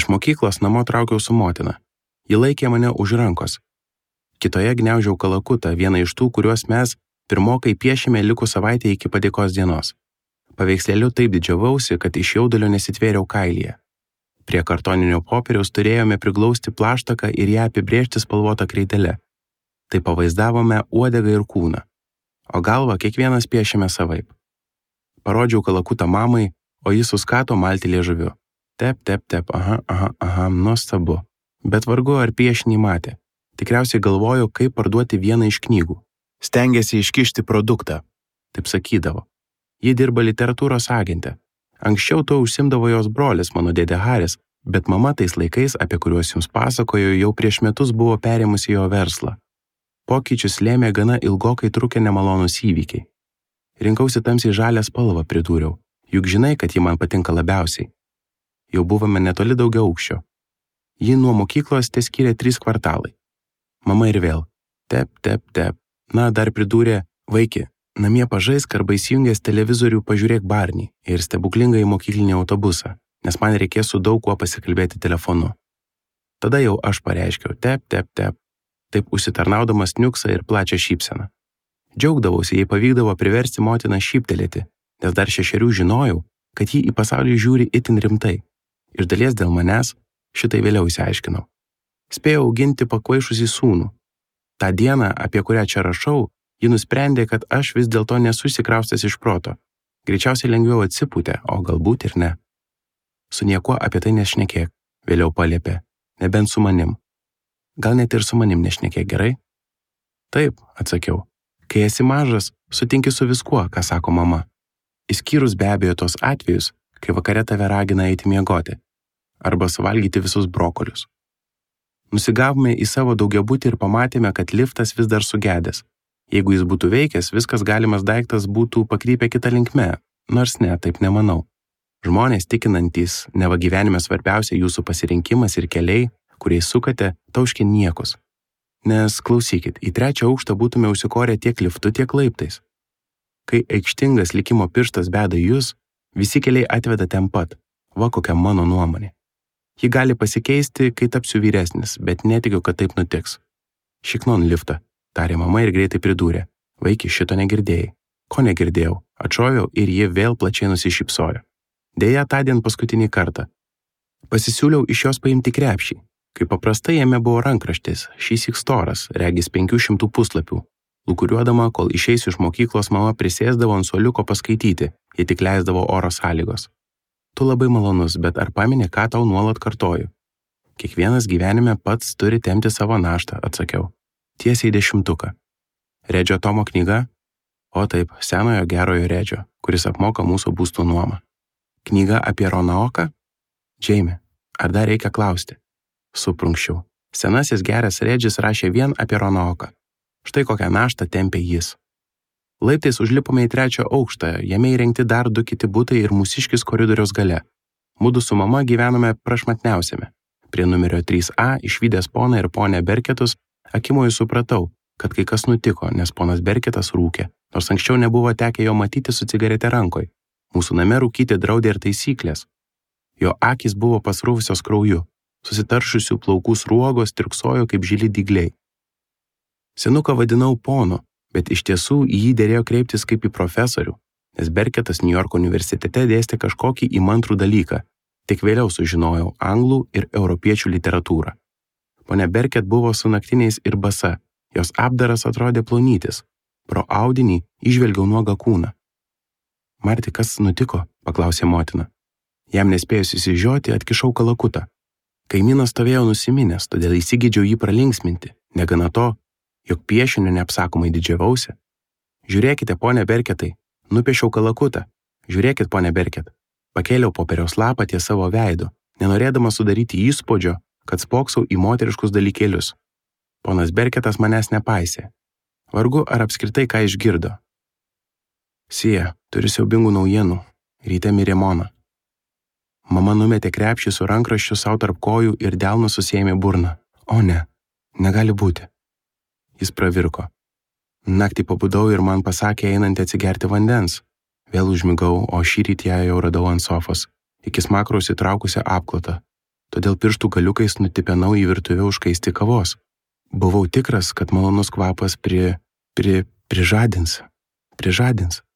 Iš mokyklos namo traukiau su motina. Ji laikė mane už rankos. Kitoje gniaužiau kalakutą, vieną iš tų, kuriuos mes pirmokai piešėme likus savaitę iki padėkos dienos. Paveikslėliu taip didžiavausi, kad iš jaudulio nesitvėriau kailyje. Prie kartoninio popieriaus turėjome priglausti plaštaką ir ją apibrėžti spalvotą kreidele. Tai pavaizdavome uodegą ir kūną, o galvą kiekvienas piešėme savaip. Parodžiau kalakutą mamai, o jis suskato malti liežuviu. Tep, tep, tep, aha, nuostabu. Bet vargu ar piešinį matė. Tikriausiai galvojo, kaip parduoti vieną iš knygų. Stengėsi iškišti produktą, taip sakydavo. Ji dirba literatūros agente. Anksčiau to užsimdavo jos brolis, mano dėdė Haris, bet mama tais laikais, apie kuriuos jums pasakoju, jau prieš metus buvo perėmusi jo verslą. Pokyčius lėmė gana ilgokai trukę nemalonūs įvykiai. Rinkausi tamsiai žalią spalvą, pridūriau, juk žinai, kad ji man patinka labiausiai. Jau buvome netoli daugiaaukščio. Ji nuo mokyklos teskyrė 3 kvartalai. Mama ir vėl. Tep, tep, tep. Na, dar pridūrė, vaiki, namie pažaisk arba įsijungęs televizorių pažiūrėk Barnį ir stebuklingą į mokyklinį autobusą, nes man reikės su daug kuo pasikalbėti telefonu. Tada jau aš pareiškiau, tep, tep, tep, taip užsitarnaudamas niuksą ir plačią šypseną. Džiaugdavausi, jei pavykdavo priversti motiną šyptelėti, nes dar 6 žinojau, kad ji į pasaulį žiūri itin rimtai. Iš dalies dėl manęs, šitai vėliau išsiaiškinau. Spėjau auginti pakvaišusį sūnų. Ta diena, apie kurią čia rašau, ji nusprendė, kad aš vis dėlto nesu išsikraustęs iš proto. Greičiausiai lengviau atsipūtė, o galbūt ir ne. Su niekuo apie tai nešnekėk, vėliau paliepė, nebent su manim. Gal net ir su manim nešnekėk, gerai? Taip, atsakiau. Kai esi mažas, sutinki su viskuo, ką sako mama. Išskyrus be abejo tos atvejus, kai vakare tave ragina eiti miegoti arba suvalgyti visus brokolius. Nusigavome į savo daugiabutį ir pamatėme, kad liftas vis dar sugedęs. Jeigu jis būtų veikęs, viskas galimas daiktas būtų pakrypę kitą linkme, nors ne, taip nemanau. Žmonės tikinantys, neva gyvenime svarbiausia jūsų pasirinkimas ir keliai, kuriais sukate, tauškė niekus. Nes, klausykit, į 3 aukštą būtume užsikorę tiek liftu, tiek laiptais. Kai aikštingas likimo pirštas beda jūs, visi keliai atveda ten pat, va kokia mano nuomonė. Ji gali pasikeisti, kai tapsiu vyresnis, bet netikiu, kad taip nutiks. Šiknon liftą, tarė mama ir greitai pridūrė. Vaiki, šito negirdėjai. Ko negirdėjau? Atšoviau ir ji vėl plačiai nusišypsojo. Deja, tądien paskutinį kartą. Pasisiūliau iš jos paimti krepšį. Kaip paprastai jame buvo rankraštis, šįsyk storas, regis 500 puslapių. Lūkuriuodama, kol išeisiu iš mokyklos, mama prisėsdavo ant suoliuko paskaityti, jei tik leisdavo oro sąlygos. Tu labai malonus, bet ar pameni, ką tau nuolat kartoju? Kiekvienas gyvenime pats turi tempti savo naštą, atsakiau. Tiesiai 10. Redžio Tomo knyga? O taip, senojo gerojo Redžio, kuris apmoka mūsų būstų nuomą. Knyga apie Ronaoką? Džeimi, ar dar reikia klausti? Suprunkščiau. Senasis geras Redžis rašė vien apie Ronaoką. Štai kokią naštą tempė jis. Laiptais užlipome į 3 aukštą, jame įrengti dar 2 kiti butai ir mūsiškis koridoriaus gale. Mudu su mama gyvenome prašmatniausiame. Prie numerio 3A išvydęs poną ir ponę Berketus, akimoju supratau, kad kai kas nutiko, nes ponas Berketas rūkė, nors anksčiau nebuvo tekę jo matyti su cigarete rankoj. Mūsų name rūkyti draudė ir taisyklės. Jo akys buvo pasrūvusios krauju, susitaršusių plaukų sruogos tirksojo kaip žili dygliai. Senuką vadinau ponu, bet iš tiesų į jį derėjo kreiptis kaip į profesorių, nes Berketas Niujorko universitete dėstė kažkokį įmantrų dalyką, tik vėliau sužinojau anglų ir europiečių literatūrą. Ponia Berket buvo su naktiniais ir basa, jos apdaras atrodė plonytis, pro audinį įžvelgiau nuogą kūną. Marti, kas nutiko? Paklausė motina. Jam nespėjus įsižioti, atkišau kalakutą. Kaimynas stovėjo nusiminęs, todėl įsigydžiau jį pralinksminti, negana to, jog piešiniu neapsakomai didžiavausi. Žiūrėkite, ponia Berketai, nupiešiau kalakutą. Žiūrėkit, ponia Berket. Pakėliau popieriaus lapą ties savo veidu, nenorėdama sudaryti įspūdžio, kad spoksau į moteriškus dalykėlius. Ponas Berketas manęs nepaisė. Vargu ar apskritai ką išgirdo. Sija, turi siaubingų naujienų. Ryte mirė Mona. Mama numetė krepšį su rankraščiu savo tarp kojų ir delnu susėmė burną. O ne, negali būti. Jis pravirko. Naktį pabudau ir man pasakė einantį atsigerti vandens. Vėl užmigau, o šįryt ją jau radau ant sofos, iki smakraus įtraukusią apklotą. todėl pirštų galiukais nutipenau į virtuvę užkaisti kavos. Buvau tikras, kad malonus kvapas prižadins.